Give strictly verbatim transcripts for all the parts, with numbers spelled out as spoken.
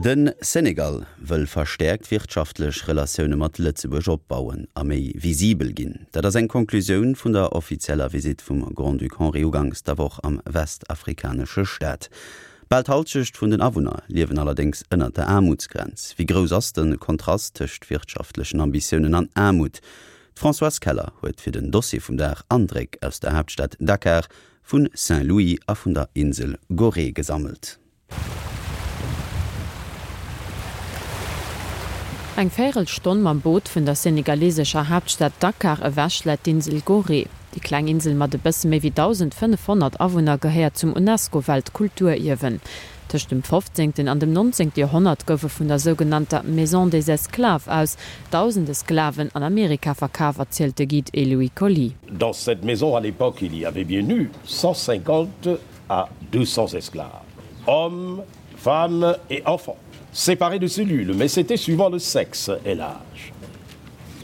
De Senegal wëll verstäerkt wirtschaftlech Relatioune mat Lëtzebuerg opbauen a méi visibel ginn. Dat ass eng Konklusioun vun der offizieller Visitt vum Grand-Duc Henri uganks der Woch am westafrikanesche Staat. Bal d'Hallschent vun den Awunner liewen allerdéngs ënnert der Aarmutsgrenz. Wéi grouss ass de Kontrast tëscht wirtschaftlechen Ambitiounen an Aarmut? D'Françoise Keller huet fir den Dossier vum Dag Andréck aus der Haaptstad Dakar, vu Saint-Louis a vun der Insel Gorée gesammelt. Eng Véierelstonn mam Boot vun der senegalesescher Haaptstad Dakar ewech läit d'Insel Gorée. Déi kleng Insel mat e bësse méi wéi dausendfënnefhonnert Awunner gehéiert zum UNESCO-Weltkulturierwen. Tëscht dem fofzéngten an dem nonzéngte Joerhonnert goufe vun der sougenannter Maison des Esclaves aus dausende Sklaven an Amerika verkaf, erzielt de Guide Eloy Coly. Dans cette maison à l'époque il y avait bien eu cent cinquante à deux cents esclaves, hommes, femmes et enfants, séparés de cellules, mais c'était suivant le sexe et l'âge.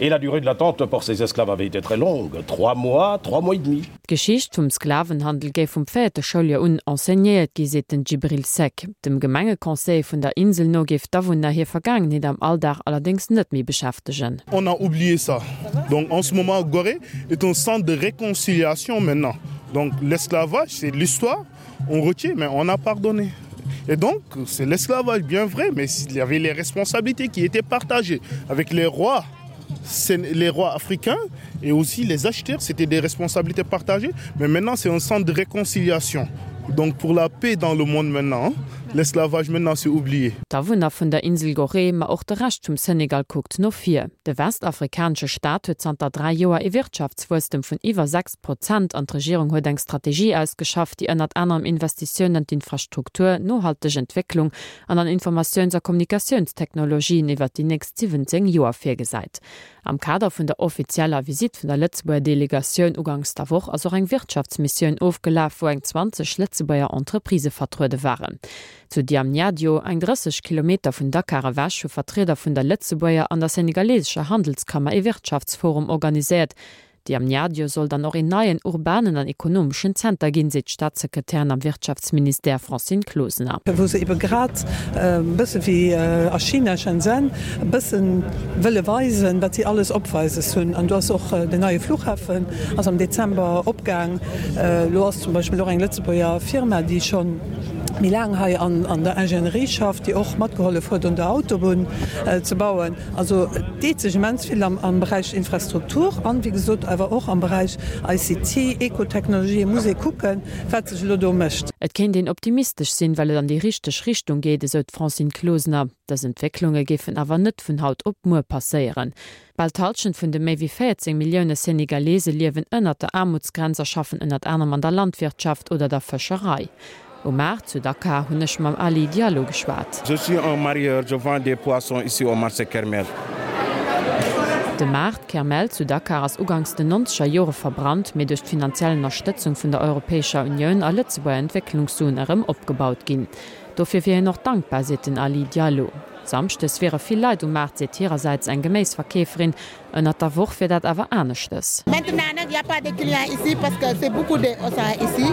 Et la durée de l'attente pour ces esclaves avait été très longue, trois mois, trois mois et demi. D'Geschicht vum Sklavenhandel géif vum véierte Schouljoer un enseignéiert gi, seet den Djibril Seck. Dem Gemengeconseil vun der Insel no géif d'Awunner hir Vergaangenheet am Alldag allerdéngs net méi beschäftegen. On a oublié ça. Donc en ce moment Gorée est un centre de réconciliation maintenant. Donc l'esclavage c'est l'histoire, on retient mais on a pardonné. Et donc c'est l'esclavage bien vrai mais il y avait les responsabilités qui étaient partagées avec les rois les rois africains et aussi les acheteurs, c'était des responsabilités partagées. Mais maintenant c'est un centre de réconciliation. Donc pour la paix dans le monde maintenant, l'esclavage maintenant c'est oublié. D'Awunner vun der Insel Gorée, ma och de Rescht vum Senegal kuckt no vir. De westafrikanesche Staat huet zanter dräi Joer ee Wirtschaftswuesstem vun iwwer sechs Prozent an d'Regierung huet eng Strategie ausgeschafft, déi ënnert anerem Investitiounen an d'Infrastruktur, nohalteg Entwécklung an an Informatiouns a Kommunikatiounstechnologien iwwer déi nächst siwwenzéng Joer virgesäit. Am Kader vun der offizieller Visitt vun der Lëtzebuerger Delegatioun uganks der Woch ass och eng Wirtschaftsmissioun ofgelaf, wou eng zwanzeg Lëtzebuerger Entreprisë vertruede waren. Zu Diamniadio, eng drësseg Kilometer vun Dakar ewech, hu Vertrieder vun der Lëtzebuerger an der senegalesescher Handelskammer ee Wirtschaftsforum organiséiert. Diamniadio soll dann och een neien urbanen an ekonomeschen Zenter ginn, seet d'Staatssekretärin am Wirtschaftsministère Francine Closener. Wou se ebe grad, e bësse wéi a China, Shenzhen, e bësse wëlle weisen, wat si alles opweises hunn. An do ass och den neie Flughafen ass am Dezember opgaang. Elo ass zum Beispill och eng Lëtzebuerger Firma, déi scho méi laang hei an der Ingénierie schafft, déi och matgehollef huet un der Autobunn ze bauen. Also et deet sech immens vill am Beräich Infrastruktur an, wéi gesot, awer och am Beräich I C T, Ecotechnologie. Et muss ee kucken, wat sech elo do mécht. Et kéint een optimistesch sinn, well et an déi richteg Richtung geet, esou d'Francine Closener. Dës Entwécklunge géifen awer net vun haut op muer passéieren. Bal d'Hallschent vun de méi wéi véierzéng Millioune Senegalese liewen ënnert der Aarmutsgrenz a schaffen ënnert anerem an der Landwirtschaft oder der Fëscherei. Um Maart zu Dakar hunn ech mam Ali Diallo geschwat. Je suis un marieur, je vends des poissons ici au marché Kermel. De Maart Kermel zu Dakar ass uganks den nonzeger Jore verbrannt, mee duerch d'finanziell Ënnerstëtzung vun der Europäescher Unioun a Lëtzebuerger Entwécklungssuen erëm opgebaut ginn. Dofir wier hien och dankbar, seet den Ali Diallo. Samschdes wiere vill Leit um Maart, seet hirersäits eng Geméisverkeeferin. Ënnert der Woch wier dat awer aneschtes. Maintenant nag y a pas de clients ici parce que c'est beaucoup de Auchan ici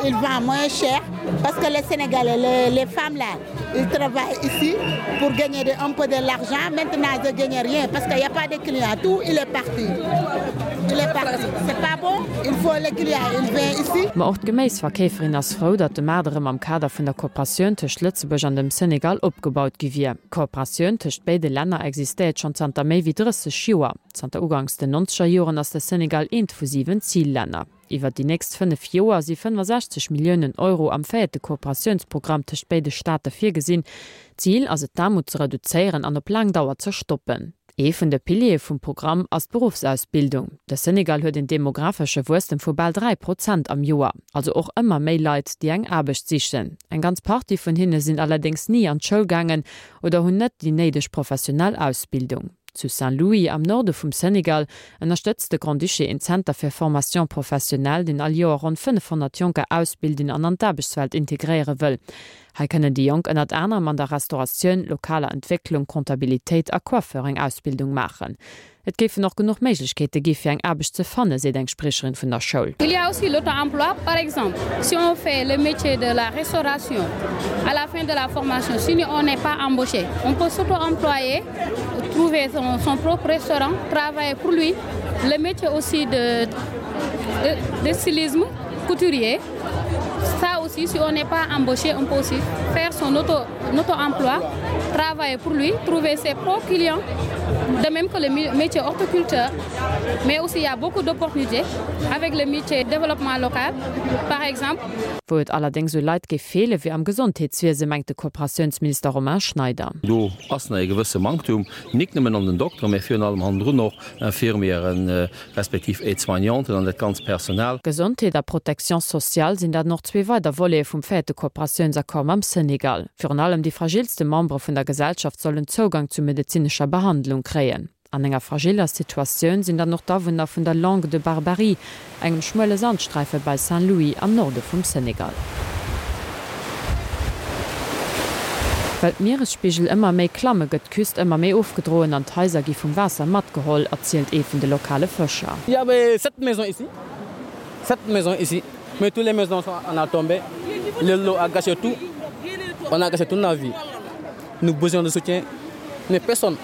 ils vendent moins cher parce que les Sénégalais les les femmes là ils travaillent ici pour gagner de un peu de l'argent maintenant je gagne rien parce que y a pas de clients tout il est parti il est parti c'est pas bon il faut les clients ils viennent ici. Ma och d'Geméisverkeeferin ass frou, datt de Maart erëm am Kader vun der Kooperatioun tëscht Lëtzebuerg an dem Senegal opgebaut gi wier. D'Kooperatioun tëscht béide Länner existéiert schonn zanter méi wéi drësseg Joer. Zanter uganks den nonzeger Joren ass de Senegal eent vu siwen Zillänner. Iwwer déi nächst fënnef Joer si fënnefasechzeg Milliounen Euro am véierte Kooperatiounsprogramm tëscht béide Staate virgesinn. Zil ass et d'Aarmut ze reduzéieren an op laang Dauer ze stoppen. Ee vun de Piliere vum Programm ass d'Beruffsausbildung. De Senegal huet een demographesche Wuesstem vu bal dräi Prozent am Joer, also och ëmmer méi Leit, déi eng Aarbecht sichen. Eng ganz Partie vun hinne sinn allerdéngs ni an d'Schoul gaangen oder hunn net déi néideg professionell Ausbildung. Zu Saint-Louis am Norde vum Senegal ënnerstëtzt de Grand-Duché een Zenter fir Formation professionnelle, deen all Joer ronn fënnefhonnert Jonker ausbilden an an d'Aarbechtswelt integréiere wëll. Hei kënnen déi Jonk ënnert anerem an der Restauratioun, lokaler Entwécklung, Comptabilitéit a Coiffeur eng Ausbildung maachen. Et géifen och genuch Méiglechkeete gi fir eng Aarbecht ze fannen, seet eng Spriecherin vun der Schoul. Il y a aussi l'auto-emploi, par exemple, si on fait le métier de la restauration, à la fin de la formation, si on n'est pas embauché, on peut s'auto-employer, trouver son, son propre restaurant, travailler pour lui. Le métier aussi de, de, de stylisme, couturier, ça aussi, si on n'est pas embauché, on peut aussi faire son auto, auto-emploi, travailler pour lui, trouver ses propres clients, de même que le métier horticulteur. Mais aussi, il y a beaucoup d'opportunités avec le métier développement local, par exemple. Wou et allerdéngs u Leit géif feelen, wier am Gesondheetswiese, mengt de Kooperatiounsminister Romain Schneider. Do ass nach e gewësse Manktum, nik nëmmen an den Dokteren, mä virun allem hannendrun och Infirmieren, respektiv Aide-soignanten an dat ganzt Personal. Gesondheet a Protection sociale sinn dann och zwee weider Volete vum véierte Kooperatiounsaccord mam Senegal. Virun allem déi fragilste Membere vun der Gesellschaft sollen Zougang zu medezinescher Behandlung kréien. An enger fragiller Situatioun sinn dann och d'Awunner vun der Langue de Barbarie, engem schmuele Sandsträife bei Saint-Louis am Norde vum Senegal. Well d'Mieresspigel ëmmer méi klamme gëtt d'Küst ëmmer méi ofgedroen an d'Haiser gi vum Waasser matgeholl, erzielt ee vun de lokale Fëscher. Il y avait sept maisons ici, sept maisons ici, mais toutes les maisons sont en a tombé. L'eau a gâché tout, on a gâché toute nos vie. Nous besoin de soutien, mais personne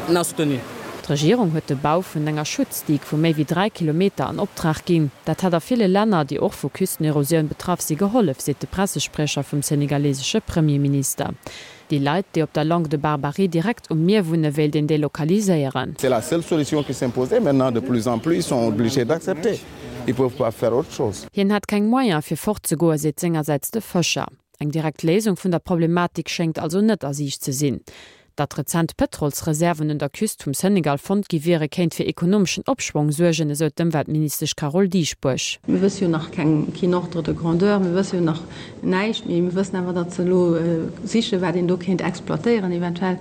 n'a soutenu. D'Regierung huet de Bau vun enger Schutzdigue vu méi wéi dräi Kilometer an Optrag ginn. Dat hätt a ville Länner, déi och vu Küstenerosioun betraff si gehollef, seet de Pressespriecher vum senegalesesche Premierminister. Déi Leit, déi op der Langue de Barbarie direkt um Mier wunne wéilt een delokaliséieren. C'est la seule solution qui s'imposait. Maintenant, de plus en plus, ils sont obligés d'accepter. Ils peuvent pas faire autre chose. Hien hätt keng Moyen fir fortzegoen, seet sengersäits de Fëscher. Eng direkt Léisung vun der Problematik schéngt also net a Siicht ze sinn. Datt rezent Pëtrolsreserven un der Küst vum Senegal fonnt gi wiere, kéint fir ekonomeschen Opschwong suergen, esou d'Ëmweltministesch Carole Dieschbourg. Mir wësse jo nach keng, keen Ordre de grandeur, mir wësse jo nach näischt, mee mir wëssen awer, datt se elo sichen, wat een do kéint exploitéieren eventuell,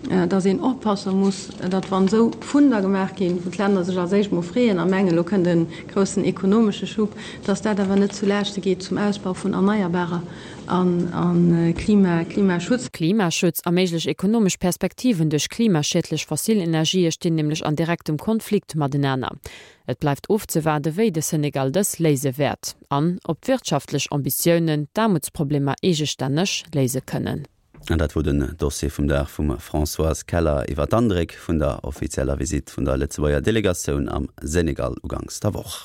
datt een oppasse muss, datt wann esou Funder gemaach ginn, wou d'Länner sech als éischt mol freeën a mengen, elo kënnt e groussen ekonomesche Schub, datt dat awer net zu Laaschte geet zum Ausbau vun Erneierbarer an Klima, Klimaschutz. Klimaschutz a méiglech ekonomesch Perspektiven duerch klimaschiedlech fossil Energië stinn nämlech an direktem Konflikt matenaner. Et bleift ofzewaarde wéi de Senegal dës léise wäert an ob d'wirtschaftlech Ambitiounen d'Aarmutsproblemer eegestänneg léise kënnen. An dat wor den Dossier vum Dag vum Françoise Keller iwwer d'Andréck vun der offizieller Visitt vun der Lëtzebuerger Delegatioun am Senegal uganks der Woch.